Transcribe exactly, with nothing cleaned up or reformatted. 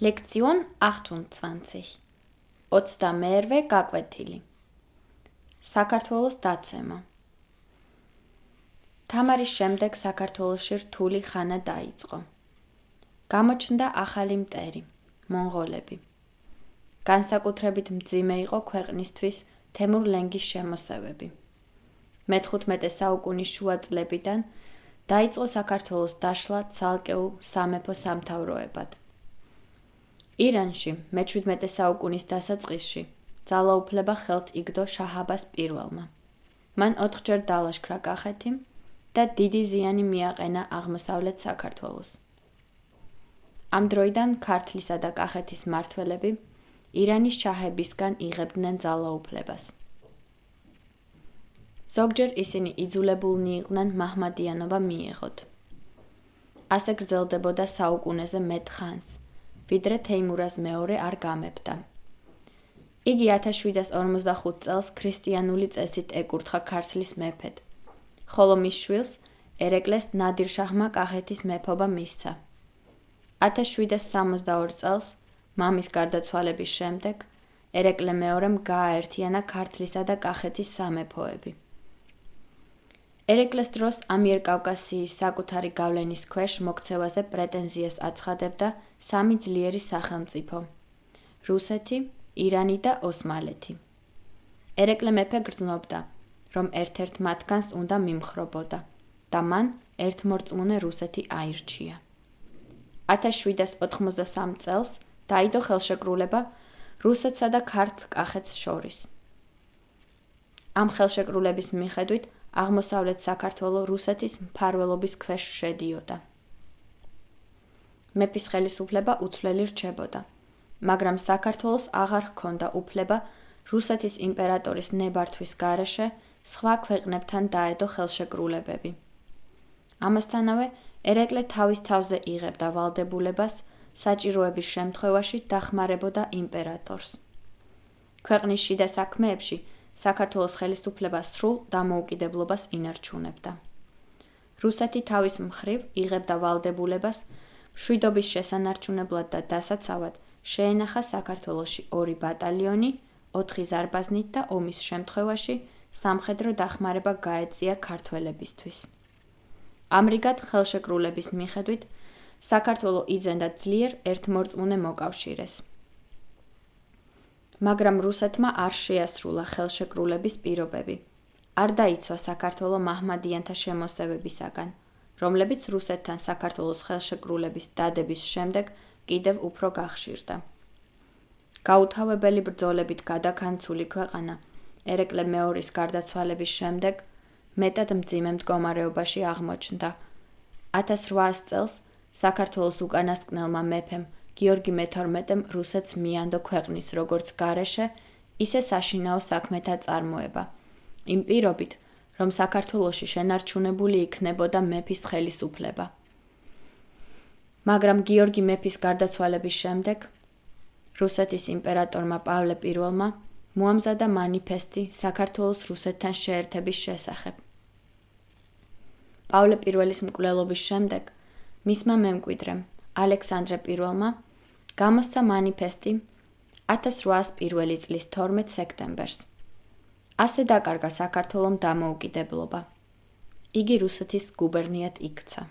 Lektion achtundzwanzig. ოცდამეერვე გაკვეთილი. საქართველოს დაცემა. თამარის შემდეგ საქართველოში რთული ხანა დაიწყო. გამოჩნდა ახალი მტერი, მონღოლები. განსაკუთრებით მძიმე იყო ქვეყნისთვის თემურ ლენგის შემოსევები. მეთხუთმეტე საუკუნის შუა წლებიდან დაიწყო საქართველოს დაშლა ცალკეულ სამეფო სამთავროებად. ირანში მეჩვიდმეტე საუკუნის დასაწყისში ძალაუფლება ხელთ იგდო შაჰ-აბას პირველმა. მან ოთხჯერ დალაშქრა კახეთი და დიდი ზიანი მიაყენა აღმოსავლეთ საქართველოს. ამ დროიდან ქართლისა და კახეთის მმართველები ირანის შაჰებისგან იღებდნენ ძალაუფლებას. ზოგჯერ ისინი იძულებულნი იყვნენ მაჰმადიანობა მიეღოთ. ასე გრძელდებოდა საუკუნეზე მეტ ხანს, ვიდრე თეიმურაზ მეორე არ გამეფდა. იგი ათას შვიდას ორმოცდახუთ წელს ქრისტიანული წესით ეკურთხა ქართლის მეფედ, ხოლო მის შვილს ერეკლეს ნადირ-შაჰმა კახეთის მეფობა მისცა. ათას შვიდას სამოცდაორ წელს, მამის გარდაცვალების შემდეგ, ერეკლე მეორემ გააერთიანა ქართლისა და კახეთის სამეფოები. ერეკლეს დროს ამიერკავკასიის საკუთარი გავლენის ქვეშ მოქცევაზე პრეტენზიას აცხადებდა სამი ძლიერი სახელმწიფო: რუსეთი, ირანი და ოსმალეთი. ერეკლე მეფე გრძნობდა, რომ ერთ-ერთ მათგანს უნდა მიმხრობოდა და მან ერთმორწმუნე რუსეთი აირჩია. ათას შვიდას ოთხმოცდასამ წელს დაიდო ხელშეკრულება რუსეთსა და ქართლ-კახეთს შორის. ამ ხელშეკრულების მიხედვით აღმოსავლეთ საქართველო რუსეთის მფარველობის ქვეშ შედიოდა. მეფის ხელისუფლება უცვლელი რჩებოდა, მაგრამ საქართველოს აღარ ჰქონდა უფლება რუსეთის იმპერატორის ნებართვის გარეშე სხვა ქვეყნებთან დაედო ხელშეკრულებები. ამასთანავე ერეკლე თავის თავზე იღებდა ვალდებულებას საჭიროების შემთხვევაში დახმარებოდა იმპერატორს. ქვეყნის შიდა საქმეებში საქართველოს ხელისუფლება სრულ დამოუკიდებლობას ინარჩუნებდა. რუსეთი თავის მხრივ იღებდა ვალდებულებას მშვიდობის შესანარჩუნებლად და დასაცავად შეენახა საქართველოში ორი ბატალიონი, ოთხი ზარბაზნით და ომის შემთხვევაში სამხედრო დახმარება გაეწია ქართველებისთვის. ამრიგად ხელშეკრულების მიხედვით საქართველო იძენდა ძლიერ ერთმორწმუნე მოკავშირეს. მაგრამ რუსეთმა არ შეასრულა ხელშეკრულების პირობები. არ დაიცვა საქართველო მაჰმადიანთა შემოსევებისაგან, რომლებიც რუსეთთან საქართველოს ხელშეკრულების დადების შემდეგ კიდევ უფრო გახშირდა. გაუთავებელი ბრძოლებით გადაქანცული ქვეყანა ერეკლე მეორის გარდაცვალების შემდეგ მეტად მძიმე მდგომარეობაში აღმოჩნდა. ათას რვაას წელს საქართველოს უკანასკნელმა მეფემ გიორგი მეთორმეტემ რუსეთს მიანდო ქვეყნის როგორც გარეშე, ისე საშინაო საქმეთა წარმოება, იმ პირობით, რომ საქართველოში შენარჩუნებული იქნებოდა მეფის ხელისუფლება. მაგრამ გიორგი მეფის გარდაცვალების შემდეგ რუსეთის იმპერატორმა პავლე პირველმა მოამზადა მანიფესტი საქართველოს რუსეთთან შეერთების შესახებ. პავლე პირველის მკვლელობის შემდეგ მისმა მემკვიდრემ ალექსანდრე პირველმა გამოსცა მანიფესტი ათას რვაას პირველი წლის თორმეტ სექტემბერს. ასე დაკარგა საქართველომ დამოუკიდებლობა. იგი რუსეთის გუბერნიად იქცა.